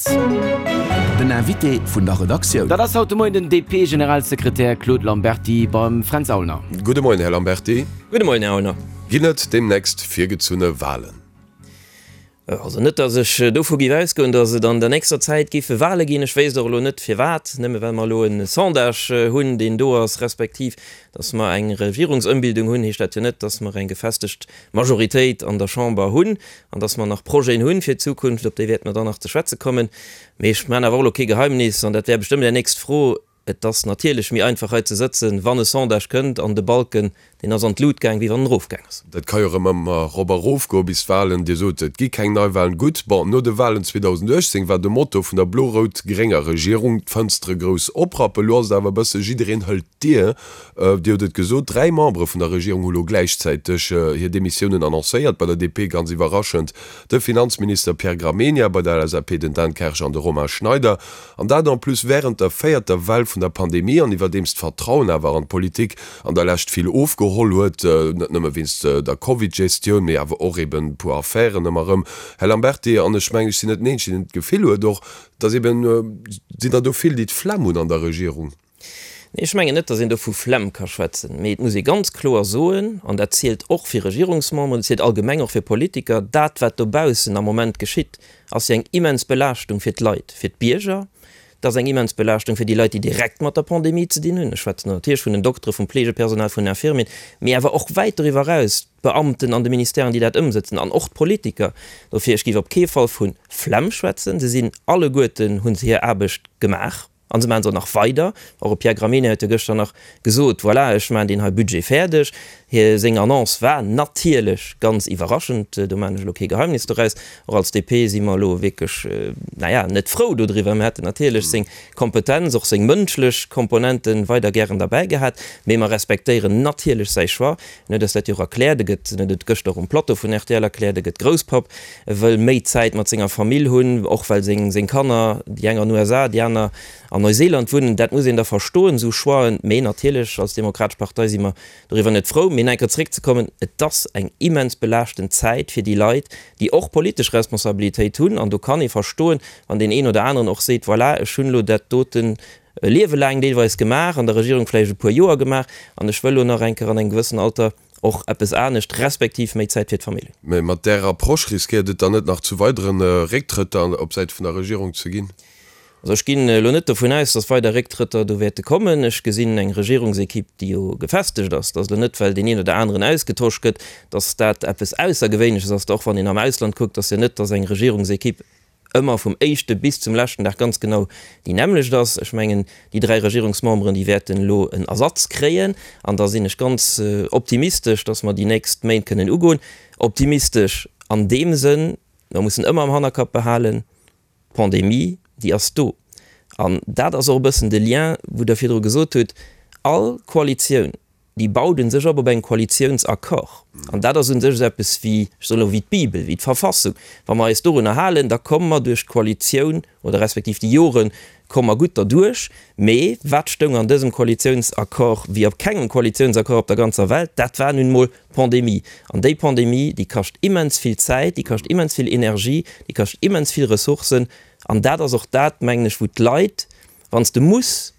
Den Invité vun der Redaktioun. Dat ass haut de Moien den DP-Generalsekretär Claude Lamberty beim Fränz Aulner. Gudde Moien, Här Lamberty. Gudde Moien, Här Aulner. Ginn et deemnächst virgezunne Walen? Also net, datt ech dovu géif ausgoen, datt et an der nächster Zäit géife Wale ginn. Ech wéisst och elo net firwat, nëmme well mer elo e Sondage hunn, deen do ass, respektiv datt mer eng Regierungsëmbildung hunn, heescht dat jo net, datt mer eng gefestegt Majoritéit an der Chamber hunn an datt mer nach Projeten hunn fir d'Zukunft, op déi wäerte mer dann nach ze schwätze kommen. Mee ech maachen awer och elo kee Geheimnis, an dat wär bestëmmt Är nächst Fro, Et ass natierlech méi einfach hei ze sëtzen, wann e Sondage kënnt an de Balken, deen ass an d'Lut gaang, wéi wann en erofgaang ass. Dat ka jo erëm ëmmer erop a rof goen bis d'Wahlen. Dir sot, et gi keng Neiwahlen. Gutt, bon, no de Wahlen 2018 war de Motto vun der blo-rout-grénger Regierung, d'Fënstere grouss oprappen. Elo ass et awer e bësse jiddereen hëlt d'Dier. Dir hutt et gesot, 3 Membere vun der Regierung hu lo gläichzäiteg hir Demissiounen annoncéiert. Bei der DP ganz iwwerraschend de Finanzminister Pierre Gramegna, bei der LSAP den Dan Kersch an de Romain Schneider. An dat en plus wärend der véierter Well vun der Pandemie an iwwerdeems d'Vertrauen awer an d'Politik an der Lescht vill ofgeholl huet, net nëmme wéinst der Covid-Gestioun, mee awer och eben e puer Affären ëmmer erëm. Här Lamberty, an ech mengen, ech sinn net den Eenzegen, deen d'Gefill huet och, dass eben, sinn der do vill, déi d'Flemm hunn an der Regierung? Nee, ech mengen net, datt een do vu Flemm ka schwätzen, mee et muss ee ganz kloer soen, an dat zielt och fir Regierungsmemberen, dat zielt allgemeng och fir Politiker, dat wat dobaussen am Moment geschitt, ass jo eng immens Belaaschtung fir d'Leit, fir d'Bierger, et ass eng immens Belaaschtung fir déi Leit, déi direkt mat der Pandemie ze dinn hunn, ech schwätzen do natierlech vun den Doktere, vum Pflegepersonal, vun den Infirmieren, mee awer och wäit doriwwer eraus d'Beamten an de Ministèren, déi dat ëmsëtzen, an och d'Politiker. Dofir, ech géif op kee Fall vu Flemm schwätzen. Se sinn alleguerten, hu se hir Aarbecht gemaach. An se maachen se och nach weider. Och e Pierre Gramegna huet jo gëschter nach gesot, voilà, ech maachen deen hei Budget fäerdeg. Hie seng Annonce war natierlech ganz iwwerraschend, do maachen ech elo kee Geheimnis doraus. Och als DP si mer elo wierklech, naja, net frou dodriwwer. Mir hätten natierlech seng Kompetenz, och seng mënschlech Komponenten weider gären derbäi gehat. Mee mer respektéieren natierlech säi Choix. En huet eis dat jo och erkläert, e gëtt, en huet et gëschter och um Plateau vun rtl erkläert, e gëtt Grousspapp. E wëll méi Zäit mat senger Famill hunn, och well seng seng Kanner, déi eng an USA, déi aner an Neuseeland wunnen. Dat muss een da verstoen, esou Choixen. Mee natierlech, als Demokratesch Partei si mer doriwwer net frou. Mee nach eng Kéier zeréckzekommen, Et ass eng immens belaaschtend Zäit fir déi Leit, déi och politesch Responsabilitéit hunn. An do kann ee verstoen, wann deen een oder aneren och seet, Voilà, ech hunn elo dat doten e Liewe laang deelweis gemaach, an der Regierung vläicht e puer Joer gemaach, an ech wëll elo nach eng Kéier an engem gewëssen Alter och eppes anescht, respektiv méi Zäit fir d'Famill. Mä mat där Approche riskéiert et dann net nach zu weidere Récktrëtter op Säit vun der Regierung ze ginn? Also ech ginn elo net dovun aus, datt weider Récktrëtter do wäerte kommen. Ech gesinn eng Regierungsequipe, déi jo gefestegt ass. Et ass elo net, well deen een oder aneren ausgetosch gëtt, datt dat eppes Aussergewéinleches ass. Och wann een am Ausland kuckt, ass jo net, datt eng Regierungsequipe ëmmer vum éischte bis zum leschten Dag ganz genau déi nämmlecht ass. Ech mengen, déi dräi Regierungsmemberen, déi wäerten elo en Ersatz kréien an da sinn ech ganz optimistesch, datt mer déi nächst Méint kënnen ugoen. Optimistesch an deem Sënn, mer mussen ëmmer am Hannerkapp behalen, d'Pandemie, déi ass do. An dat ass och e bëssen de Lien, wou Der virdru gesot hutt, all Koalitioun, déi baut u sech op op engem Koalitiounsaccord. An dat ass u sech esou eppes wéi, ech soen elo, wéi d'Bibel, wéi d'Verfassung. Wa mer eis dorunner halen, da komme mer duerch d'Koalitioun oder respektiv déi Jore komme mer gutt derduerch. Mee wat stoung an dësem Koalitiounsaccord wéi op kengem Koalitiounsaccord op der ganzer Welt? Dat war nun emol d'Pandemie. An déi Pandemie, déi kascht immens vill Zäit, déi kascht immens vill Energie, déi kascht immens vill Ressourcen. An dat ass och dat, mengen ech, wou d'Leit, wann s de muss,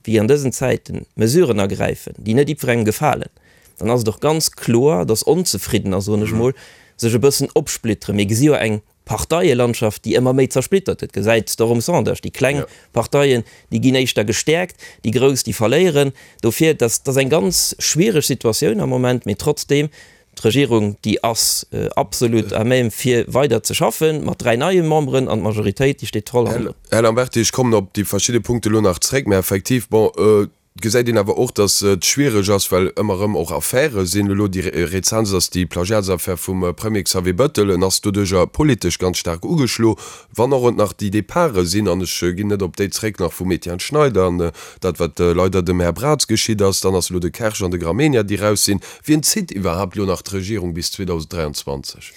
wéi an dësen Zäiten, Mesuren ergräifen, déi net jiddwerengem gefalen, dann ass et och ganz kloer, dass Onzefriddener, soen ech mol, sech e bëssen opsplitteren. Mir gesi jo eng Parteielandschaft, déi ëmmer méi zersplittert gëtt. Gesäit s de och um Sondage, déi kleng Parteien, déi ginn éischter gestäerkt, déi grouss, déi verléieren. Dofir, dat ass eng ganz schwiereg Situatioun am Moment, mee trotzdeem, D'Regierung, déi ass absolut à même fir weider ze schaffen, mat 3 neie Memberen, an d'Majoritéit, déi steet voll hannendrun. Här Lamberty, ech kommen op déi verschidde Punkte elo nach zréck, mä effektiv, bon, et gesäit een awer och, datt et schwiereg ass, well ëmmer erëm och Affäre sinn. Elo déi rezentst ass déi Plagiatsaffär vum Premier Xavier Bettel. En ass doduercher politesch ganz staark ugeschlo. Wann och et nach déi Departe sinn, an ech ginn net op déi zréck nach vum Etienne Schneider an dat wat leider dem Här Braz geschitt ass, dann ass elo de Kersch an de Gramegna déi raus sinn. Wien zitt iwwerhaapt elo nach d'Regierung bis 2023?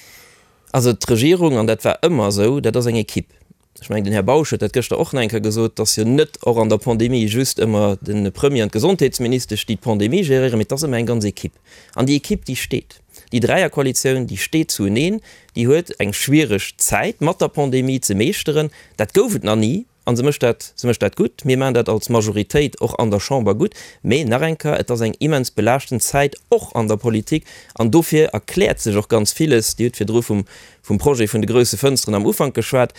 Also d'Regierung, an dat war ëmmer esou, dat ass eng Equipe. Ech mengen den Här Bausch huet dat gëschter och nach eng Kéier gesot, et ass jo net och an der Pandemie just ëmmer de Premier an d'Gesondheetsministesch déi d'Pandemie géréieren, mee et ass ëmmer eng ganz Equipe. An déi Equipe déi steet. Déi Dräierkoalitioun, déi steet zueneen, déi huet eng schwiereg Zäit mat der Pandemie ze meeschteren. Dat gouf et nach ni a se mécht dat, se mécht dat gutt. Mir maachen dat als Majoritéit och an der Chamber gutt. Mee nach eng Kéier, et ass eng immens belaaschtend Zäit och an der Politik an dofir erkläert sech och ganz villes. Dir hutt virdru vum, vum Projet vun de grousse Fënsteren am Ufank geschwat.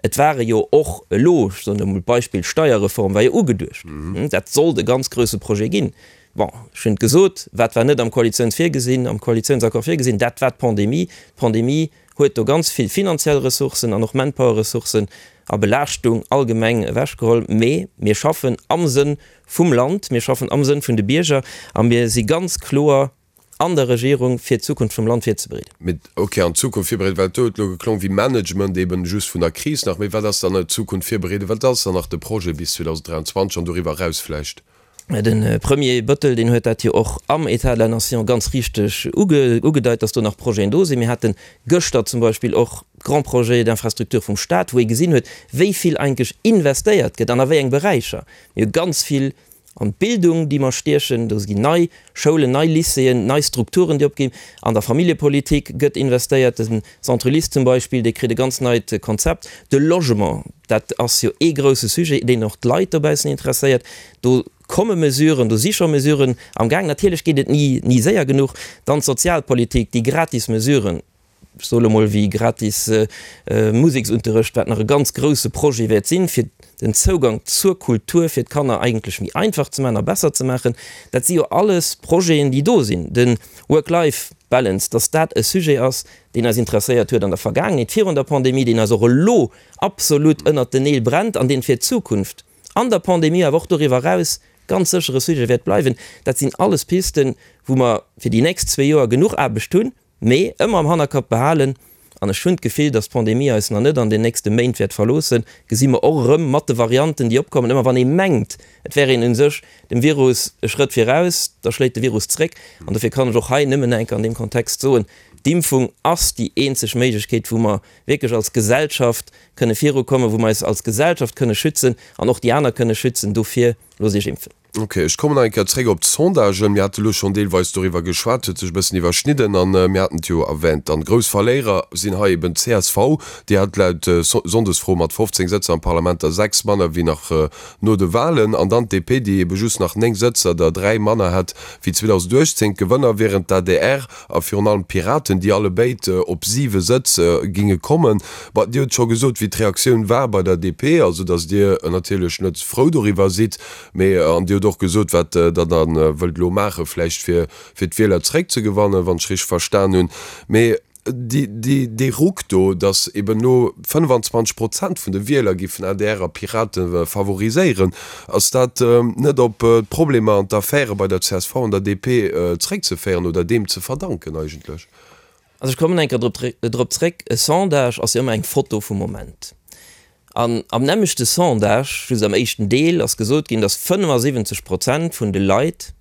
Et ware jo och elo, ech soen emol d'Beispill Steierreform war jo ugeduecht, dat sollt e ganz grousse Projet ginn. Bon, ech hunn et gesot, wat war net am Koalitiouns virgesinn, am Koalitiounsaccord virgesinn, dat war d'Pandemie. D'Pandemie huet do ganz vill finanziell Ressourcen an och Manpower-Ressourcen a Belaaschtung allgemeng ewechgeholl. Mee mir schaffen am Sënn vum Land, mir schaffen am Sënn vun de Bierger a mir si ganz kloer an der Regierung, fir d'Zukunft vum Land virzebereeden. Mee ok, an d'Zukunft virbereeden, well do huet elo geklong wéi Management eben just vun der Kris nach. Mee wat ass dann d'Zukunft virbereeden? Wat ass dann nach de Projet bis 2023 an doriwwer eraus vläicht? De Premier Bettel, deen huet dat jo och am État de la Nation ganz richteg ugedeit, dass do nach Projeten do sinn. Mir hate gëschter zum Beispill och d'Grands projets d'infrastructure vum Stat, wou ee gesinn huet, wéi vill eigentlech investéiert gëtt an a wéi eng Beräicher. Mir hu ganz vill an d'Bildung, déi mer stiechen. Do ginn nei Schoulen, nei Lycéeën, nei Strukturen, déi opginn. An der Familljepolitik gëtt investéiert. De Centre Ulysse zum Beispill, dee kritt e ganz neit Konzept. De Logement, dat ass jo ee grouse Sujet, deen och d'Leit dobaussen interesséiert. Do komme Mesuren, do si scho Mesuren am Gaang. Natierlech geet et ni, ni séier genuch. Dann d'Sozialpolitik, déi gratis Mesuren, ech soe lo mol wéi gratis Museksunterrecht, wat nach e ganz grouse Projet wäert sinn, fir den Zougang zur Kultur fir d'Kanner eigentlech méi einfach ze maachen a besser ze maachen. Dat si jo alles Projeten, déi do sinn. De Work-Life-Balance, dass dat e Sujet ass, deen eis interesséiert huet an der Vergaangenheet, virun der Pandemie, deen eis och elo absolut ënnert den Neel brennt an deen fir d'Zukunft an der Pandemie, awer och doriwwer eraus ganz sécher e Sujet wäert bleiwen. Dat sinn alles Pisten, wou mer fir déi nächst zwee Joer genuch Aarbecht hunn, mee ëmmer am Hannerkapp behalen, an ech hunn d'Gefill, dass d'Pandemie eis nach net an den nächste Méint wäert verloossen, gesi mer och erëm mat de Varianten, déi opkommen, ëmmer wann ee mengt, et wär een u sech dem Virus e Schrëtt viraus, da schléit de Virus zréck. An dofir kann ech och hei nëmmen enk an deem Kontext soen, D'Impfung ass déi eenzeg Méiglechkeet, wou mer wierklech als Gesellschaft kënne virukommen, wou mer eis als Gesellschaft kënne schützen an och déi aner kënne schützen. Dofir, loosst Iech impfen. Ok, ech kommen nach eng Kéier zréck op d'Sondagen. Mir hate lo schonn deelweis doriwwer geschwat, huet sech e bëssen iwwerschnidden an mir haten et jo erwähnt. Dann, grouss Verléierer sinn hei eben d'CSV, déi hat laut Sonndesfro mat 15 Sëtzer am Parlament der 6 manner wéi nach no de Wahlen an dann d'DP, déi ebe just nach 9 Sëtzer, der 3 manner hätt wéi 2018. D'Gewënner wieren d'ADR a virun allem d'Piraten, déi allebéid op 7 Sëtz ginge kommen. Bon, Dir hutt scho gesot, wéi d'Reaktioun war bei der DP, also datt Dir natierlech net frou doriwwer sidd. Mee, an Dir hutt och gesot, wat Der da wëllt elo maachen, vläicht fir, fir d'Wieler zréckzegewannen, wann ech richteg verstan hunn. Mee déi, déi, dee Ruck do, datt eben elo 25 Prozent vun de Wieler géifen adr a Pirate favoriséieren, ass dat net op d'Problemer an d'Affäre bei der csv an der DP zréckzeféieren oder deem ze verdanken eigentlech? Also ech kommen eng Kéier drop zréck, e Sondage ass jo ëmmer eng Foto vum Moment. An am nämmlechte Sondage, just am éischten Deel, ass gesot ginn, datt 75 Prozent vun de Leit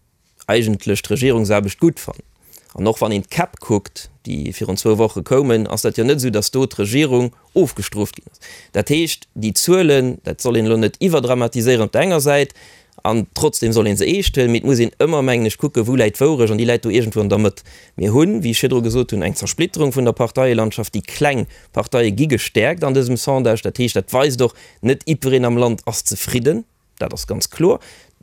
eigentlech d'Regierungsaarbecht gutt fannen. An och wann een d'Käpp kuckt, déi virun zwou Woche koumen, ass dat jo net esou, datt do d'Regierung ofgestrooft ginn ass. Dat heescht, déi Zuelen, dat soll een elo net iwwerdramatiséieren op der enger Säit, An trotzdem soll ee se eescht huelen, mee et muss een ëmmer, mengen ech, kucken, wou läit d'Wourecht, an déi läit do iergendwou an der Mëtt. Mir hunn, wéi ech virdru gesot hunn, eng Zersplitterung vun der Parteielandschaft. Déi kleng Parteie gi gestäerkt an dësem Sondage. Dat heescht, dat weist och, net jiddereen am Land ass zefridden. Dat ass ganz kloer.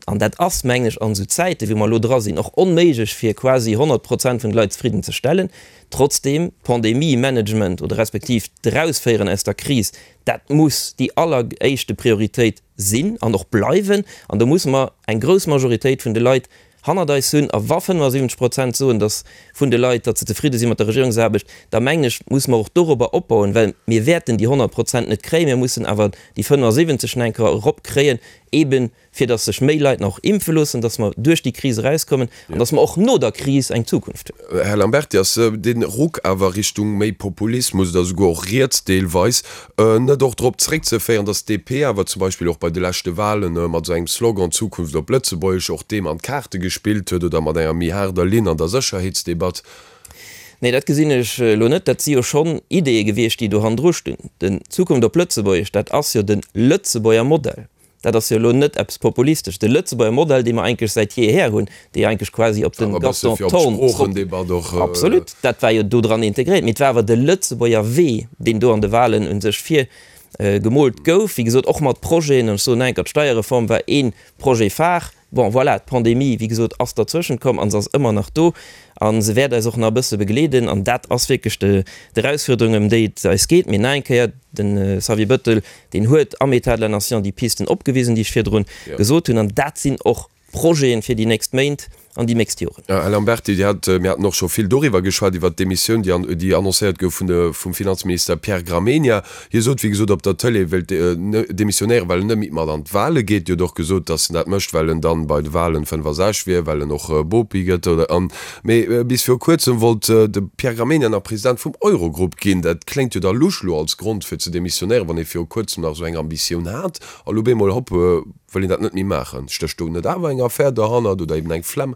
An dat ass, mengen ech, an esou Zäiten, wéi mer elo dra sinn, och onméiglech, fir quasi 100 Prozent vun de Leit zefridden ze stellen. Trotzdem, Pandemie-Management oder respektiv d'Erausféieren aus der Kris, dat muss déi alleréischte Prioritéit sinn an och bleiwen. An do musse mer eng grouss Majoritéit vun de Leit hannert eis hunn. A wa 75 Prozent soen, datt vun de Leit, datt se zefridde si mat der Regierungsaarbecht, da mengen ech, musse mer och dorobber opbauen, well mir wäerten déi 100 Prozent net kréien, mir mussen awer déi 75 nach eng Kéier eropkréien, eeben fir datt sech méi Leit nach impfe loossen, datt mer duerch déi Kris erauskommen an datt mer och no der Kris eng Zukunft hunn. Här Lamberty, ass dee Ruck awer Richtung méi Populismus oder souguer och riets deelweis net och drop zréckzeféieren, datt d'DP awer zum Beispill och bei de leschte Wahlen mat esou engem Slogan Zukunft op Lëtzebuergesch och deem an d'Kaarte gespillt huet oder mat enger méi haarder Linn an der Sécherheetsdebatt? Nee, dat gesinn ech elo net. Dat si jo schonn Ideeë gewiescht, déi do hannendru stinn. Den Zukunft op Lëtzebuergesch, dat ass jo de Lëtzebuerger Modell. Dat ass jo elo net eppes Populistesches. De Lëtzebuerger Modell, dee mer eigentlech säit jeeher hunn, dee eigentlech quasi op de Gaston Thorn zrëck. Absolut, dat war jo do dran integréiert. Mee et war awer de Lëtzebuerger Wee, deen do an de Wahlen u sech virgemoolt gouf. Wéi gesot, och mat Projeten, an ech soen nach eng Kéier, d'Steierreform war ee Projet phare. Bon, voilà, d'Pandemie, wéi gesot, ass derzwëschent komm a se ass ëmmer nach do a se wäert eis och nach e bësse begleeden. An dat ass wierklech d'Erausfuerderung, ëm déi et eis geet. Mee nach eng Kéier, de Xavier Bettel, deen huet am État de la Nation déi Pisten opgewisen, déi ech virdrun gesot hunn. An dat sinn och Projeten fir déi nächst Méint an déi nächst Joren. Här Lamberty, Dir hat, mir haten och scho vill doriwwer geschwat, iwwert d'Demissioun, déi an, déi annoncéiert gouf vun de, vum Finanzminister Pierre Gramegna. Hie sot, wéi gesot, op der Tëlee, e wéilt demissionéieren, well en net méi mat an d'Wale geet. Dir hutt och gesot, datt en dat mécht, well en dann bei de Walen 65 wier, well en och Bopi gëtt, oder an. Mee bis viru kuerzem wollt de Pierre Gramegna nach President vum Eurogrupp ginn. Dat kléngt jo da lusch elo als Grond fir ze demissionéieren, wann ee viru kuerzem nach esou eng Ambitioun hat a lo bemol, hopp, Wëll een dat net méi maachen? Stécht do net awer eng Affär derhannert oder eben eng Flemm?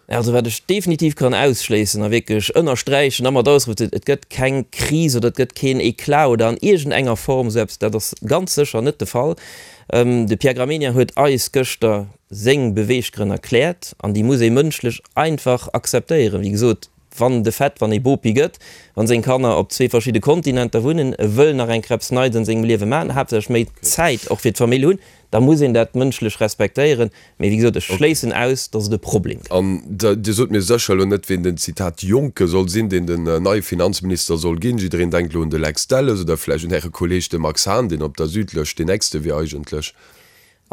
Also wat ech definitiv kann ausschléissen a wierklech ënnersträichen a mat Ausrufezeen, et gëtt keng Kris oder et gëtt keen Eclat oder an iergendenger Form esou eppes, dat ass ganz sécher net de Fall. De Pierre Gramegna huet eis gëschter seng Beweeggrënn erkläert an déi muss ee mënschlech einfach akzeptéieren. Wéi gesot, Wann de Fait, wann ee Bopi gëtt, wann seng Kanner op zwee verschidde Kontinenter wunnen, e wëll nach eng Kreps Neits an sengem Liewe maachen, haaptsächlech méi Zäit och fir d'Famill hunn, da muss een dat mënschlech respektéieren. Mee wéi gesot, ech schléissen aus, datt et e Problem gëtt. An Dir sot mir sécher elo net, ween den, Zitat, Jonke soll sinn, deen den neie Finanzminister soll ginn. Jiddereen denkt elo un de Lex Delles oder vläicht un Äre Kolleeg, de Max Hahn, deen op der Südlëscht deen nächste wier eigentlech.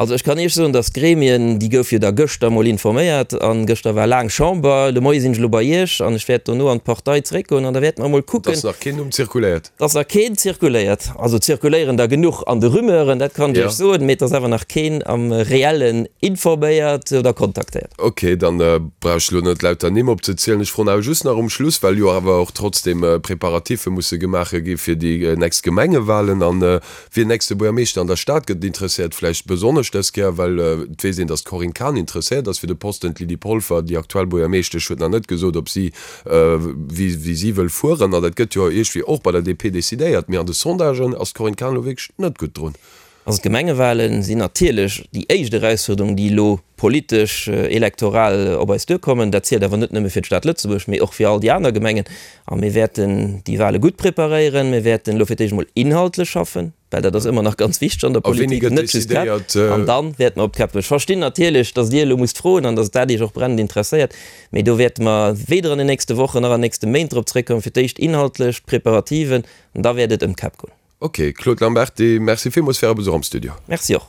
Also ech kann Iech soen, datt d'Gremien, déi gouf jo da gëschter emol informéiert an gëschter war laang Chamber, de Moie sinn ech elo bei Iech an ech wäert dono an d'Partei zeréckgoen an da wäerte mer emol kucken. Et ass nach keen Numm zirkuléiert? Et ass nach keen zirkuléiert. Also zirkuléieren der genuch an de Rumeuren, dat kann ech Iech soen, mee et ass awer nach keen am Reellen informéiert oder kontaktéiert. Ok, dann brauch ech elo net lauter Nimm opzezielen. Ech froen awer just nach um Schluss, well jo awer och trotzdem Préparatiffe musse gemaache gi fir déi nächst Gemengewahlen an Wien nächste Buergermeeschter an der Stad gëtt, interesséiert vläicht besonnesch dës Kéier, well et weess een, datt d'Corinne Cahen interesséiert ass fir de Posten. D'Lydie Polfer, déi aktuell Buergermeeschtesch, huet nach net gesot, ob si, wéi wéi si wëll fueren. An dat gëtt jo iergwéi och bei der DP decidéiert. Mee an de Sondagen ass d'Corinne Cahen elo wierklech net gutt drun. Also d'Gemengewale sinn natierlech déi éischt Erausfuerderung, déi elo politesch, elektoral op eis duerkommen. Dat zielt awer net nëmme fir d'Stad Lëtzebuerg, mee och fir all déi aner Gemengen. A mir wäerten déi Wahle gutt preparéieren. Mir wäerten elo fir d'éischt emol inhaltlech schaffen, well dat ass ëmmer nach ganz wichteg an der Politik, net just d'Käpp. An da wäerte mer op d'Käpp goen. Ech verstinn natierlech, datt Dir elo musst froen an datt dat Iech och brennend interesséiert, mee do wäerte mer weder an den nächste Wochen nach an den nächste Méint drop zréckkommen. Fir d'éischt inhaltlech, d'Preparativen, an da wäert et ëm d'Käpp goen. Ok, Claude Lamberty, Merci villmools fir Äre Besuch am Studio. Merci och.